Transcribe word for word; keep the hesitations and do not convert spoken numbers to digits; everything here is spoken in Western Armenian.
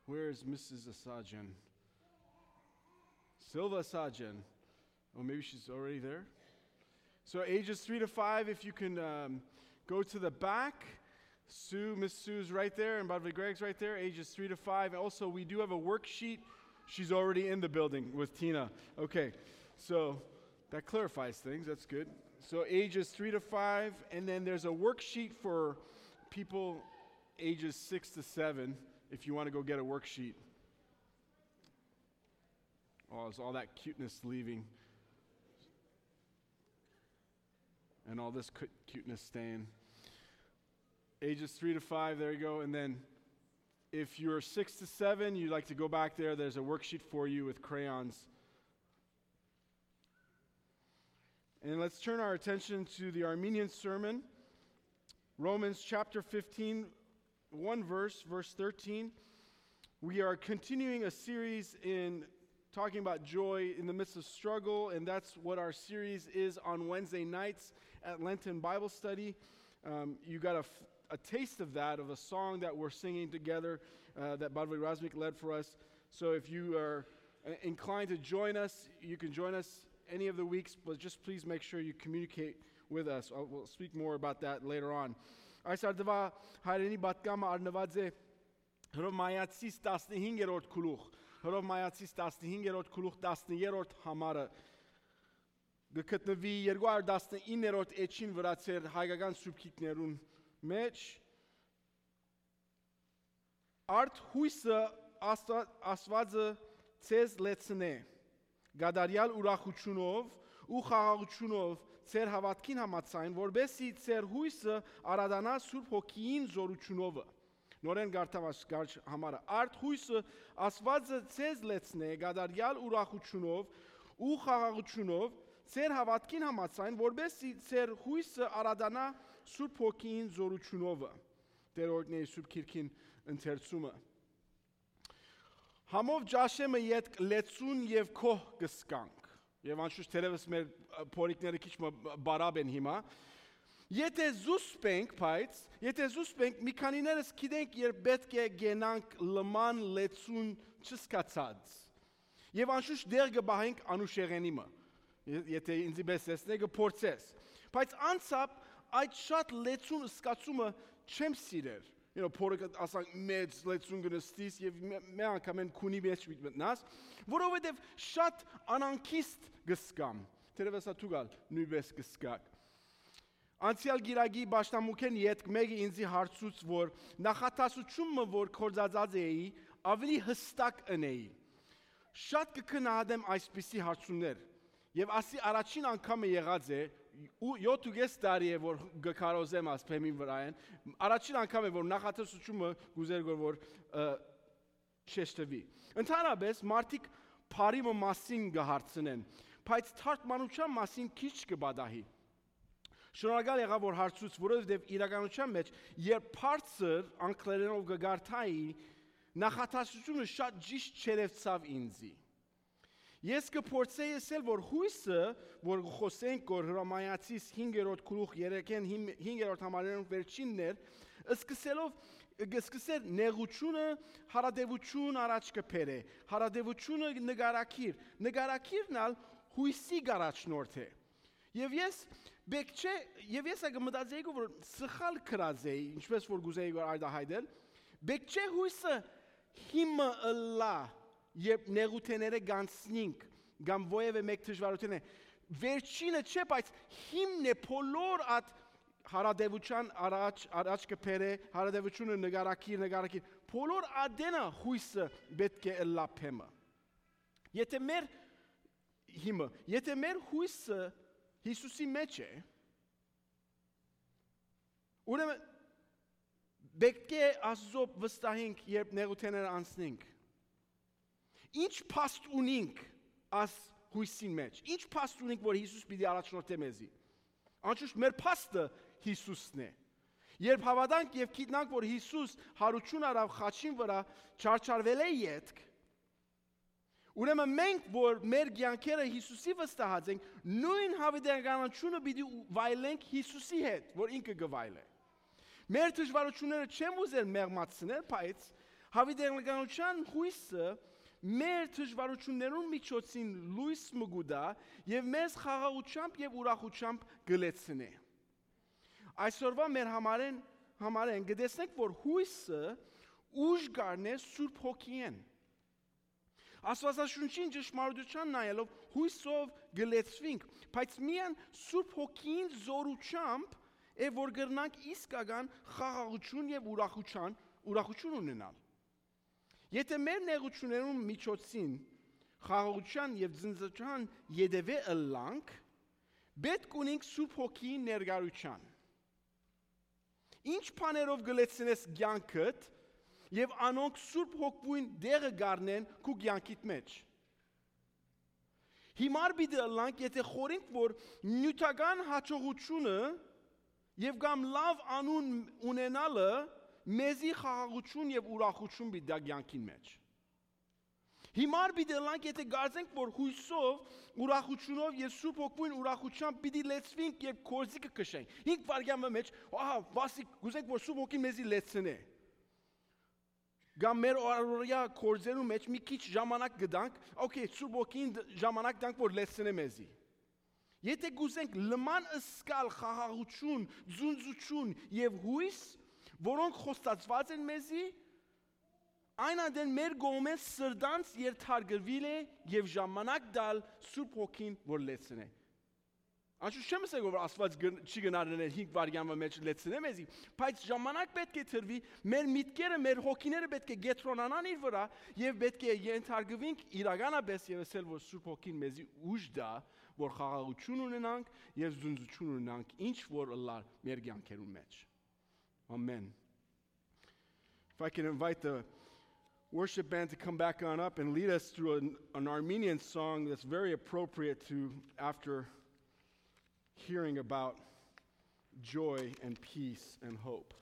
Where is Missus Asajan? Silva Asajan. Oh, maybe she's already there. So ages three to five, if you can um, go to the back. Sue, Miss Sue's right there, and Brother Greg's right there, ages three to five. Also, we do have a worksheet. She's already in the building with Tina. Okay, so that clarifies things. That's good. So ages three to five, and then there's a worksheet for people ages six to seven if you want to go get a worksheet. Oh, is all that cuteness leaving? And all this cu- cuteness staying. Ages three to five, there you go. And then if you're six to seven, you'd like to go back there, there's a worksheet for you with crayons. And let's turn our attention to the Armenian sermon, Romans chapter fifteen, one verse, verse thirteen. We are continuing a series in talking about joy in the midst of struggle, and that's what our series is on Wednesday nights at Lenten Bible Study. Um, you got a, f- a taste of that, of a song that we're singing together uh, that Badwe Razmik led for us. So if you are uh, inclined to join us, you can join us any of the weeks, but just please make sure you communicate with us. I'll, we'll speak more about that later on. Այս արդուա հայրենի պատկամը առնված է Հռոմայացիս տասնհինգերորդ գլուխ, Հռոմայացիս տասնհինգերորդ գլուխ, տասներորդ համարը կը գտնուի երկու հարյուր տասնիններորդ էջին վրացեր հայկական սուբքիկներուն մեջ։ Արդ հույսը Աստուա- Աստվածը ձեզ լեցնէ, կատարյալ ուրախութիւնով ու խաղաղութիւնով ձեր հաւատքին համաձայն, որպեսզի ձեր հույսը արատանայ Սուրբ Հոգիին զորութիւնովը։ Նորէն կարդամ այս կարճ համարը։ Արդ հույսը Աստվածը ձեզ լեցնէ կատարյալ ուրախութիւնով ու խաղաղութիւնով ձեր հաւատքին համաձայն, որպեսզի ձեր հույսը արատանայ Սուրբ Հոգիին զորութիւնովը։ Տեր օրհնի Սուրբ Գիրքին ընթերցումը։ Համով ճաշեմը ետք լեցուն եւ գոհ կ'ըսկանք։ Եւ անշուշտ թերեւս մեր ը, փորիկները քիչ մը բարապ են հիմա։ Եթե զուսպ ենք, բայց, եթե զուսպ ենք, մի քանիներս գիտենք, երբ պէտք է գնանք լման լեցուն չզգացած։ Եւ անշուշտ դեղ կը պահենք անուշեղենի մը։ Ե- եթե ինձի պես տեսնէ, կը փորձես։ Բայց անցապ այդ շատ լեցուն զգացումը չեմ սիրեր։ You know, փորը կը- ասանք, մեծ լեցուն կը նստիս եւ մէ- մէ անգամ են քունի մեջ միտ մտնաս, որովհետեւ շատ անանքիստ կ'սկամ։ Թերեւս ա դուք ալ նոյնպես կ'սկաք։ Անցեալ գիրագի պաշտամունքէն ետք մէկը ինձի հարցուց, որ նախատասութիւնը, որ կործածած էի, ավելի հստակ ընէի։ Շատ կը գնահատեմ այսպիսի հարցումներ, եւ ասի առաջին անգամը եղած է, ու յոթ ու կես տարի է, որ կը քարոզեմ աս բեմին վրայ են, առաջին անգամ է, որ նախատեսությունը կուզեր գոր, որ ը, շեշտվի։ Ընդհանրապես, մարդիկ բարի մը մասին կը հարցնեն, բայց թարգմանության մասին քիչ կը պատահի։ Շնորհակալ եղա, որ հարցուց, որովհետեւ իրականության մեջ, երբ բարձր անգլերենով կը կարդայի, նախատասությունը շատ ճիշտ չերևցաւ ինձի։ Ես կը փորձեի ըսել, որ հույսը, որ կը խօսենք, որ Հռոմայացիս հինգերորդ գլուխ երեքէն հին- հինգերորդ համարներուն վերջինն էր, սկսելով, կը սկսեր նեղությունը, հարատեւություն առաջ կը բերէ, հարատեւությունը նկարագիր, նկարագիրն ալ հույսի կ'առաջնորդէ։ Եւ ես, բեք չէ, եւ ես ա կը մտածեի, որ սխալ գրած էի, ինչպես որ կուզեի, որ արտահայտել, բեք չէ հույսը հիմը ըլլայ, երբ նեղութեները գանցնինք, կամ ովեւէ մէկ դժվարութիւնը, վերջինը չէ, բայց հիմն է բոլոր այդ հարատեւության առաջ, առաջ կը բերէ, հարատեւությունը նկարագիր, նկարագիր, բոլոր ադենը հույսը պէտք է ըլլայ բեմը։ Եթե մեր հիմը, եթե մեր հույսը Հիսուսի մեջ է, ուրեմն պէտք է Աստուծոյ վստահենք, երբ նեղութեները անցնենք։ Ինչ փաստ ունինք աս հույսին մեջ, ինչ փաստ ունինք, որ Հիսուս պիտի առաջնորդէ մեզի։ Անշուշտ մեր փաստը Հիսուսն է։ Երբ հաւատանք եւ գիտնանք, որ Հիսուս յարութիւն առաւ խաչին վրայ, չարչարվել է ետք, ուրեմն մենք, որ մեր կեանքերը Հիսուսի վստահած ենք, նոյն հաւիտենականությունը պիտի ու- վայելենք Հիսուսի հետ, որ ինքը կը վայելէ։ Մեր դժվարութիւնները չեմ ուզեր մեղմացնել, բայց Յաւիտենականութեան յոյսը մեր դժուարութիւններուն միջոցին լոյս մը կու տայ եւ մեզ խաղաղութեամբ եւ ուրախութեամբ կը լեցնէ։ Այսօրուայ մեր համարէն, համարէն կը տեսնենք, որ յոյսը ուժ կ'առնէ Սուրբ Հոգիէն։ Աստուածաշունչին ճշմարտութեան նայելով յոյսով կը լեցուինք, բայց միայն Սուրբ Հոգիին զօրութեամբ է, որ կրնանք իսկական խաղաղութիւն եւ ուրախութեան, ուրախութիւն ունենալ։ Եթէ մեր նեղութիւններուն միջոցին խաղաղութեան եւ զինծանչան ետեւէ ըլլանք, պէտք ունինք Սուրբ Հոգիին ներկայութեան։ Ինչ բաներով կը լեցնես կեանքդ եւ անոնք Սուրբ Հոգիին տեղը կ'առնեն քու կեանքիդ մէջ։ Հիմար պիտի ըլլանք, եթէ խորհենք, որ նիւթական յաջողութիւնը եւ կամ լաւ անուն ունենալը մեզի խաղաղութիւն եւ ուրախութիւն պիտի տայ կեանքին մէջ։ Հիմար պիտի ըլլանք, եթէ կարծենք, որ յոյսով, ուրախութիւնով եւ Սուրբ Հոգիին ուրախութեամբ պիտի լեցուինք, երբ գործիքը քշենք։ Հինգ վայրկեան մը մէջ, ահա, վասիկ, կ'ուզենք, որ Սուրբ Հոգին մեզի լեցնէ։ Կամ մեր առօրեայ գործերու մէջ մի քիչ ժամանակ կտանք, օքեյ, Սուրբ Հոգին դ-, ժամանակ տանք, որ լեցնէ մեզի։ Եթէ կ'ուզենք լման զգալ խաղաղութիւն, ձունձութիւն եւ յոյս, որոնք խոստացուած են մեզի, այն ատեն մեր կողմէն սրտանց երթարկուիլ է եւ ժամանակ տալ Սուրբ Հոգին, որ լեցնէ։ Անշուշտ չեմ ըսել, որ Աստուած գն-, չի գնարներ հինգ վայրկեան մը մէջ լեցնէ մեզի, բայց ժամանակ պէտք է տրուի, մեր միտքերը, մեր հոգիները պէտք է կեդրոնանան իր վրայ եւ պէտք է ենթարկուինք իրականապէս եւ ըսել, որ Սուրբ Հոգին մեզի ուժ տայ, որ խաղաղութիւն ունենանք եւ զունձութիւն ունենանք, ինչ որ ըլլար մեր կեանքերուն մէջ։ Ամեն։ If I can invite the worship band to come back on up and lead us through an, an Armenian song that's very appropriate to after hearing about joy and peace and hope.